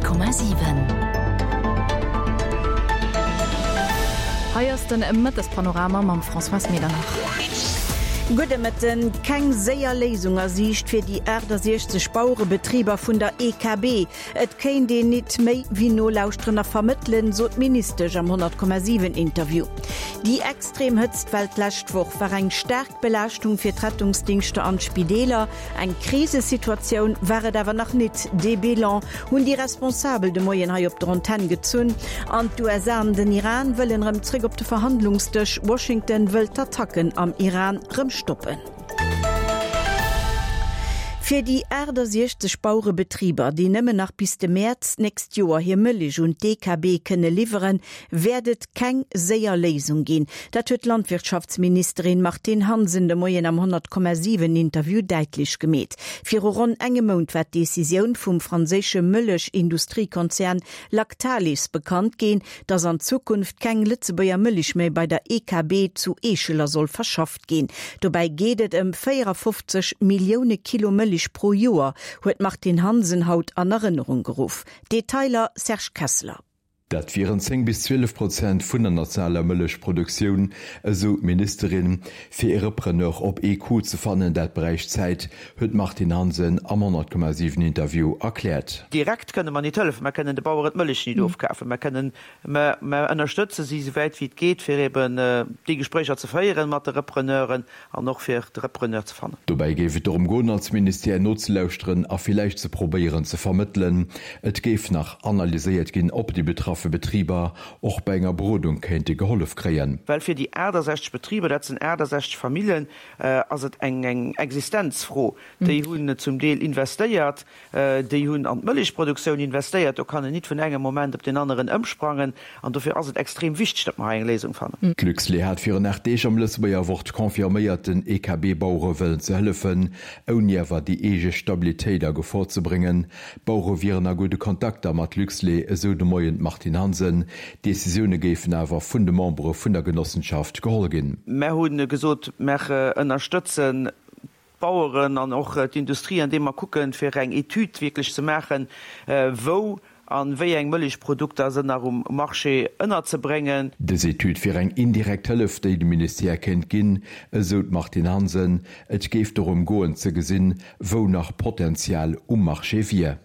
100,7. Hei ass den Mëttespanorama mam Françoise Medernach. Gudde Mëtten. Keng séier Léisung a Siicht fir déi 68 Bauerebetriber vun der EKB. Et kéint een nit méi wéi nolauschteren a vermëttelen, sot d'Ministesch am 100,7 Interview. Déi extrem Hëtztwell d'lescht Woch war eng staark Belaaschtung fir d'Rettungsdingschter an d'Spideeler. Eng Krisesituatioun war et awer nach nit. Dee Bilan hunn déi Responsabel de Moien hei op der Antenn gezunn. An d'USA an den Iran wëllen erëm zréck op de Verhandlungsdësch. Washington wëll d'Attacken am Iran rëm stoppen. Fir déi 68 Bauerebetriber, déi nëmmen nach bis de Mäerz d'nächst Joer hir Mëlich un d'EKB kënne liwweren, wäert et keng séier Léisung ginn. Dat huet d'Landwirtschaftsministerin Martine Hansen de Moien am 100,7 Interview däitlech gemeet. Viru ronn engem Mount war d'Decisioun vum franséische Mëllech-Industriekonzern Lactalis bekannt ginn, datt an Zukunft keng Lëtzebuerger Mëlich méi bei der EKB zu Eescheler soll verschafft ginn. Dobäi geet et ëm 54 Millioune Kilo Mëlich pro Joer, huet d'Martine Hansen haut an Erënnerung geruff. Detailer Serge Kessler. Dat wieren 10 bis 12 Prozent vun der nationaler Mëllechproduktioun, esou d'Ministerin. Fir ee Repreneur op ee Coup ze fannen, dat bräicht Zäit, huet d'Martine Hansen am 100,7 Interview erkläert. Direkt kënne mer nit hëllefen. Mer kënnen de Baueren d'Mëllech nit ofkafen. Mer kënnen, mer ënnerstëtze si esouwäit wéi et geet, fir eben déi Gespréicher ze féieren mat de Repreneuren. An och fir de Repreneur ze fannen. Dobäi géif et dorëm goen, als Ministère nozelauschteren a villäicht ze probéieren ze vermëttelen. Et géif nach analyséiert ginn, ob déi betraffe Betriber och bei enger Berodung kéinte gehollef kréien. Well fir déi 68 Betriber, dat sinn 68 Famillen, ass et eng Existenzfro. Déi hunn zum Deel investéiert. Déi hunn an d'Mëllechproduktioun investéiert. Do kann een nit vun engem Moment op deen aneren ëmsprangen. An dofir ass et extrem wichteg, datt mer hei eng Léisung fannen. D'Luxlait hat virun 8 Deeg am Lëtzebuerger Wort confirméiert, den EKB-Bauere wëllen ze hëllefen, ouni awer déi eege Stabilitéit a Gefor ze bréngen. D'Bauere wieren a gudde Kontakter mat Luxlait, esou de Moien d'Martine Hansen. D'Decisioune géifen awer vun de Membere vun der Genossenschaft geholl ginn. Mer hu gesot, mer ënnerstëtzen d'Baueren an och d'Industrie, andeem mer kucken, fir eng Etüd wierklech ze maachen, wou a wéi eng Mëllechprodukter se nach um Marché ënnerzebréngen. Dës Etüd wier eng indirekt Hëllef, déi de Ministère kéint ginn, esou d'Martine Hansen. Et géif dorëm goen, ze gesinn, wou nach Potenzial um Marché wier.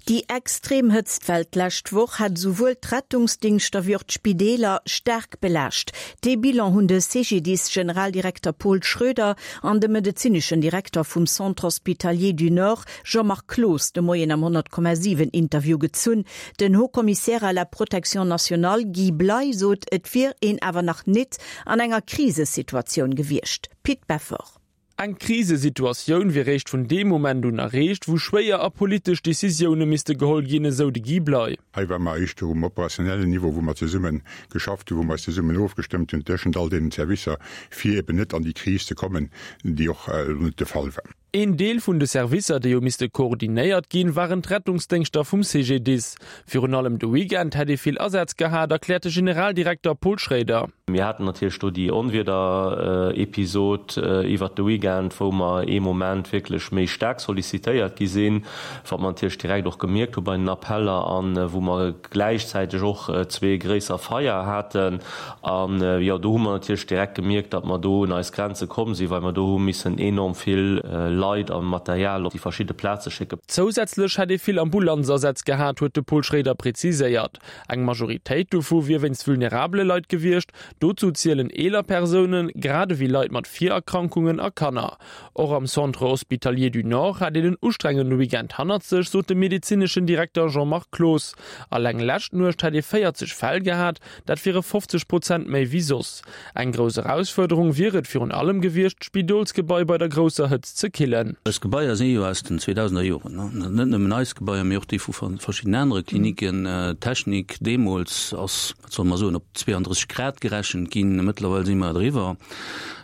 Déi extrem Hëtztwell d'lescht Woch hat esouwuel d'Rettungsdingschter wéi och d'Spideeler staark belaascht. Dee Bilan hunn de CGDIS-Generaldirekter Paul Schroeder an de medezineschen Direkter vum Centre Hospitalier du Nord Jean-Marc Cloos de Moien am 100,7 Interview gezunn. Den Haut-Commissaire à la protection nationale Guy Bley sot, et wier een awer nach nit an enger Krisesituatioun gewiescht. Pit Beffort. Eng Krisesituatioun wier réischt vun deem Moment un erreecht, wou schwéier a politesch Decisioune misste geholl ginn, esou de Guy Bley. Hei ware mer éischter um operationellen Niveau, wou mer zesumme geschafft hunn, wou mer eis zesummen ofgestëmmt hunn tëschent all deenen Servicer, fir eben net an déi Kris ze kommen, déi och elo net de Fall war. Een Deel vun de Servicer, déi hu misste koordinéiert ginn, waren d'Rettungsdéngschter vum CGDIS. Virun allem de Weekend hätt ee vill Asätz gehat, erkläert de Generaldirekter Paul Schroeder. Mir haten natierlech do déi Onwiederepisod iwwert de Weekend, wou mer ee Moment wierklech méi staark sollicitéiert gi sinn, wat mer natierlech direkt och gemierkt hu bei den Appeller an wou mer gläichzäiteg och zwee gréisser Feier haten. An jo, do hu mer natierlech direkt gemierkt, datt mer do un eis Grenze komm sinn, well mer do hu missen enorm vill Leit a Material op déi verschidde Plaze schécken. Zousätzlech hätt ee vill Ambulanzasätz gehat, huet de Paul Schroeder preziséiert. Eng Majoritéit dovu wier wéinst vulnerabele Leit gewiescht. Dozou zielen eeler Persounen, grad ewéi Leit mat Virerkrankungen a Kanner. Och am Centre Hospitalier du Nord hat een en ustrengende Weekend hannert sech, sot de medezineschen Direkter Jean-Marc Cloos. Alleng lescht Nuecht hätt ee 40 Fäll gehat, dat wiere 50 Prozent méi wéi soss. Eng grouss Erausfuerderung wier et virun allem gewiescht, d'Spidolsgebai bei der grousser Hëtzt ze killen. Eis Gebaier si jo aus den 2000er Joren, net nëmmen eis Gebaier, mee och déi vu verschiddenen anere Kliniken. D'Technik deemools ass, wat solle mer soen, op 32 Grad gerechent ginn. Mëttlerweil si mer eriwwer.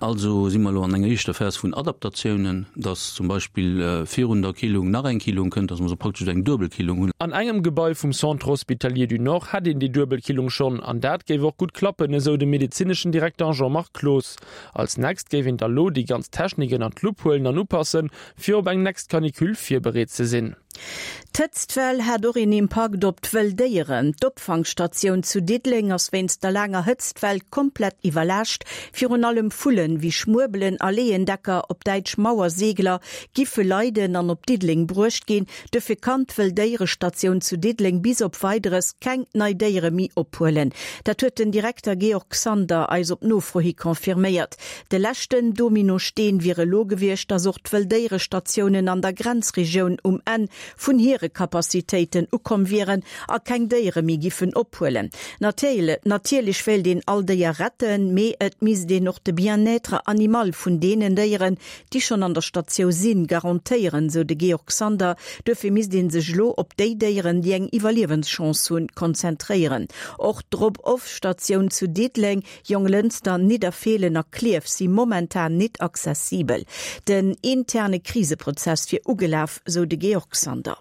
Also si mer elo an enger éischter Phas vun Adaptatiounen, dass zum Beispill virun der Killung nach eng Killung kënnt, dass mer esou praktesch eng duebel Killung hunn. An engem Gebai vum Centre Hospitalier du Nord hätt een déi duebel Killung schonn, an dat géif och gutt klappen, esou de medezineschen Direkter Jean-Marc Cloos. Als nächst géif een da lo déi ganz Technik ënner d'Lupp huelen an upassen, fir op eng next Canicule virbereet ze sinn. D'Hëtztwell hat och een Impakt op d'wëll Déieren. D'Opfangstatioun zu Diddeleng ass wéinst der laanger Hëtztwell komplett iwwerlaascht. Virun allem Vullen wéi Schmuebelen a Leeëndecker, op Däitsch Mauersegler, giffe leiden an op Diddeleng bruecht ginn. Dofir kann d'Wëll Déierestatioun zu Diddeleng bis op Weideres keng nei Déiere méi ophuelen. Dat huet den Direkter Georg Xander eis op Nofro hi confirméiert. De leschten Dominosteen wier elo gewiescht, datt och d'Wëlldéierestatiounen an der Grenzregioun um Enn vun hire Capacitéiten ukomm wieren a keng Déiere méi giffen ophuelen. Natierlech wéilt een all Déier retten, mee et misst een och de Bien-être animal vun deenen Déieren, déi schonn an der Statiou sinn, garantéieren, sou de Georg Sander. Duerfir misst ee sech elo op déi Déieren, déi eng Iwwerliewenschance hunn, konzentréieren. Och d'Drop-off-Statioun zu Diddeleng Jonglënster, Nidderfeelen a Klierf si momentan nit accessibel. Den interne Kriseprozess wier ugelaf, sou de Georg Sander.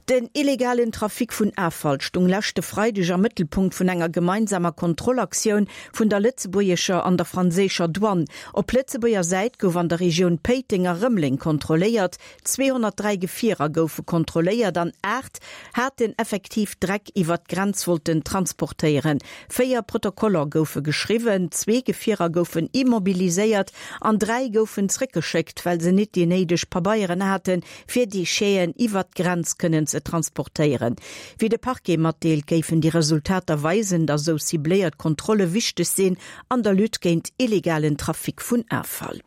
Den illegalen Trafic vun Affall stung leschte Freideg am Mëttelpunkt vun enger gemeinsamer Kontrollaktioun vun der lëtzebuergescher an der franséischer Douane. Op Lëtzebuerger Säit gouf an der Regioun Péiteng a Rëmeleng kontrolléiert. 203 Gefierer goufe kontrolléiert an 8 haten effektiv Dreck iwwert d'Grenz wollten transportéieren. 4 Protokoller goufe geschriwwen, zwee Gefierer goufen immobiliséiert an 3 goufen zréckgeschéckt, well se nit déi néideg Pabeieren haten, fir Décheten iwwert d'Grenz kënnen ze transportéieren. Wéi de Parquet matdeelt, géifen déi Resultater weisen, datt esou cibléiert Kontrolle wichteg sinn an der Lutte géint illegalen Trafic vun Affall.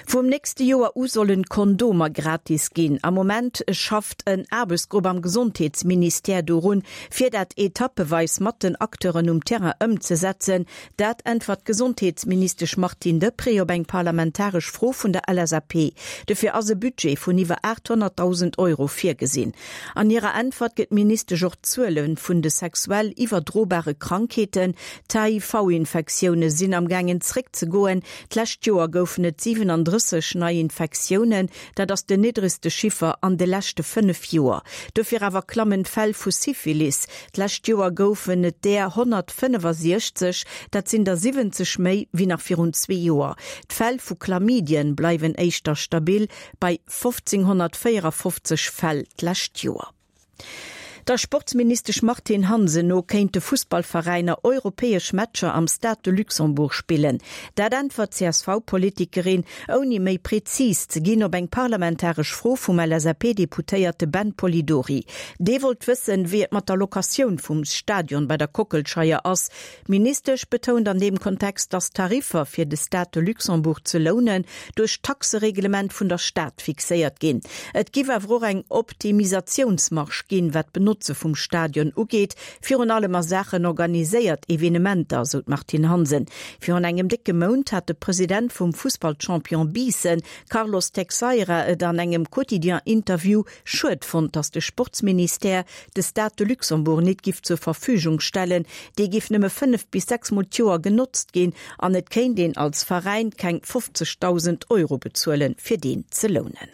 Vum nächste Joer u sollen d'Kondomer gratis ginn. Am Moment schafft en Aarbechtsgrupp am Gesondheetsministère dorun, fir dat etappeweis mat den Acteuren um Terrain ëmzesetzen. Dat äntwert d'Gesondheetsministesch Martine Deprez op eng parlamentaresch Fro vun der LSAP. Dofir ass e Budget vun iwwer 800.000 Euro virgesinn. An hirer Äntwert gëtt d'Ministesch och d'Zuele vun de sexuell iwwerdrobare Krankheeten, D'HIV-Infektioune sinn am gaangen zréckzegoen. D'lescht Joer goufen et 37 nei Infektiounen, dat ass den niddregste Chiffer an de leschte 5 Joer. Dofir awer klammen d'Fäll vu Syphilis. D'lescht Joer goufen et där 165, dat sinn der 70 méi wéi nach virun zwee Joer. D'Fäll vu Chlamydien bleiwen éischter stabil bei 1554 Fäll d'lescht Joer. Der Sportsministesch Martine Hansen no kéinte Fussballveräiner europäesch Matcher am Stade de Luxembourg spillen. Dat äntwert d'CSV-Politikerin, ouni méi prezis ze ginn, op eng parlamentaresch Fro vum LSAP-Deputéierte Ben Polidori. Dee wollt wëssen, wéi et mat der Locatioun vum Stadion bei der Kockelscheier ass. D'Ministesch betount an deem Kontext, datt d'Tariffer fir de Stade de Luxembourg ze lounen duerch d'Taxereglement vun der Stad fixéiert ginn. Et giff awer och eng Optimisatiounsmarge ginn, wat d'Benotze vum Stadion ugeet, virun allem a Saachen organiséiert Evenementer, sou d'Martine Hansen. Virun engem décke Mount hat de President vum Fussballchampion Biissen, Carlos Texeira, et an engem Quotidien-Interview schued fonnt, datt de Sportsministère de Stade de Luxembourg nit giff zur Verfügung stellen, dee giff nëmme 5 bis 6 mol d'Joer genotzt ginn an et kéint een als Veräin keng 50.000 Euro bezuelen, fir deen ze lounen.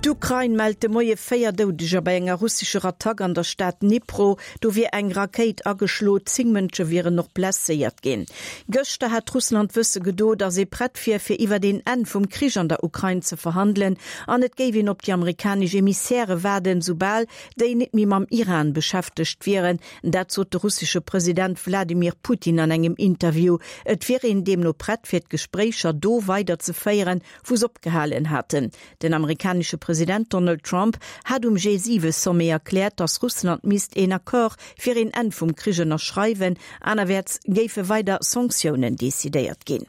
D'Ukrain mellt de Moie 4 Doudeger bei enger russescher Attack an der Stad Dnipro. Do wier eng Rakéit ageschlo, 10 Mënsche wieren och blesséiert ginn. Gëschter hat Russland wësse gedo, datt ee prett wier, fir iwwert een Enn vum Krich an der Ukrain ze verhandelen an et géif een op déi amerikanesch Emissäre waarden, soubal déi net méi mam Iran beschäftegt wieren. Dat sot de russesche President Wladimir Putin an engem Interview. Et wier een deemno prett, fir d'Gespréicher do weider ze féieren, wou s'opgehalen haten. Den amerikanesche President Donald Trump hat um G7-Sommet erkläert, datt Russland misst een Accord fir een Enn vum Krich ënnerschreiwen, anerwäerts géife weider Sanktiounen decidéiert ginn.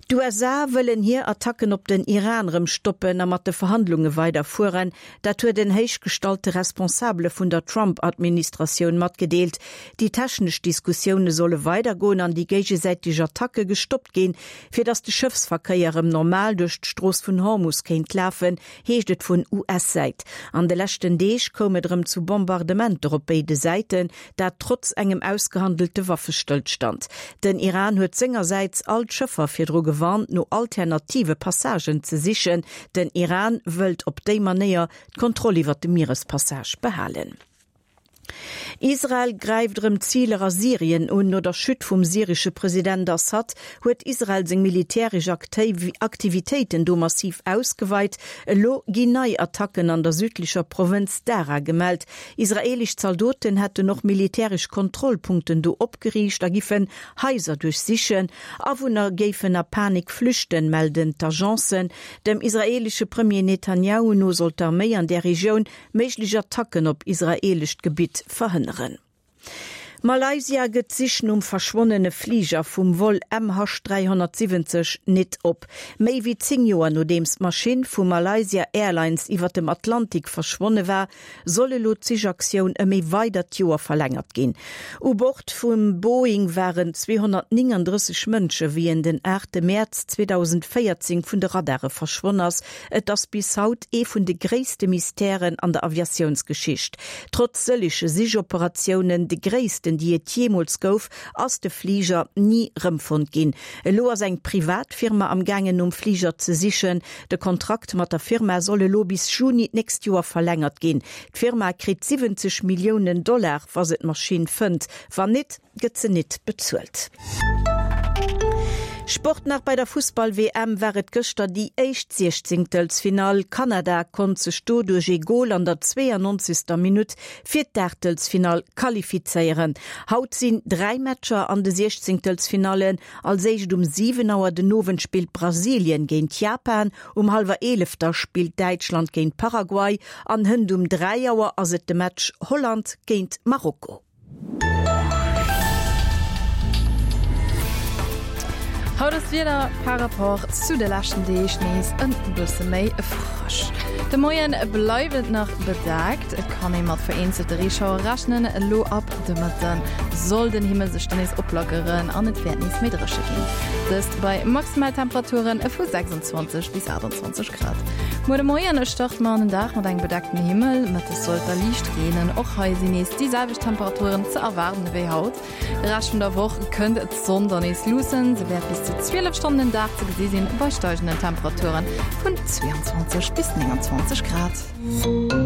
D'USA wëllen hir Attacken op den Iran rëm stoppen a mat de Verhandlunge weiderfueren. Dat huet en héichgestallte Responsabele vun der Trump-Administratioun matgedeelt. Déi technesch Diskussioune solle weidergoen an déi géigesäiteg Attacke gestoppt ginn, Fir datt de Schëffsverkéier erëm normal duerch d'Strooss vun Hormus kéint lafen, heescht et vun US-Säit. An de leschten Deeg koum et erëm zu Bombardementer op béide Säiten, dat trotz engem ausgehandelte Waffestëllstand. Den Iran huet sengersäits all d'Schëffer virdru gewarnt, no alternative Passagen ze sichen. Den Iran wëllt op déi Manéier d'Kontroll iwwer de Mierespassage behalen. Israel gräift erëm Ziler a Syrien un. No der Chute vum syresche President Assad huet Israel seng militäresch Aktivitéiten do massiv ausgeweit. Elo ginn nei Attacken an der südlecher Provënz Daraa gemellt. Israeelesch Zaldoten hätten och militäresch Kontrollpunkten do opgeriicht a giffen Haiser duerchsichen. Awunner géifen a Panik flüchten, melden d'Agencen. Dem israeelesche Premier Netanjahu no soll d'Arméi an där Regioun méiglech Attacken op israeelescht Gebitt verhënneren. Malaysia gëtt d'Sich nom verschwonnene Fliger vum Vol MH 370 nit op. Méi wéi 10 Joer nodeems d'Maschinn vu Malaysia Airlines iwwer dem Atlantik verschwonne war, soll elo d'Sichaktioun ëm ee weidert Joer verlängert ginn. U Bord vum Boeing waren 239 Mënsche wéi en den 8 Mäerz 2014 vun de Radare verschwonn ass. Et ass bis haut ee vun de gréisste Mystèren an der Aviatiounsgeschicht. Trotz sëlleche Sichoperatiounen, de gréissten déi et jeemools gouf, ass de Fliger ni rëmfonnt ginn. Elo ass eng privat Firma am gaangen nom Fliger ze sichen. De Kontrakt mat der Firma soll elo bis Juni d'nächst Joer verlängert ginn. D'Firma kritt 70 Milliounen Dollar, wa se d'Maschinn fënnt. Wann nit, gëtt se nit bezuelt. Sport nach, Bei der Fussball-WM war et gëschter déi éischt Siechzéngtelsfinall. Kanada konnt sech do duerch ee Gol an der 92. Minutt fir d'Aachtelsfinall qualifizéieren. Haut sinn 3 Matcher an de Siechzéngtelsfinallen. Als éischt um 7 Auer den Owend spillt Brasilien géint Japan, um hallwer 11 da spillt Däitschland géint Paraguay an hënt um 3 Auer ass et de Match Holland géint Marokko. Haut ass d'Wieder par rapport zu de leschten Deeg nees en bësse méi frësch. De Moien bleift et nach bedeckt, et kann ee mat vereenzelte Reeschauere rechnen. Elo ab de Mëtte soll den Himmel sech dann nees oplockeren an et wäert nees méi dréche ginn, dëst bei Maximaltemperature vu 26 bis 28 Grad. Muer de Moien starte mer an den Dag mat engem bedeckten Himmel, mëttes soll et da liicht reenen. Och hei sinn nees déi selwecht Temperaturen ze erwaarden ewéi haut. De Rescht vun der Woch kënnt d'Sonn dann nees luussen, se wäert bis zu 12 Stonnen den Dag ze gesi sinn, bei steigenden Temperature vun 22 bis 29 Grad.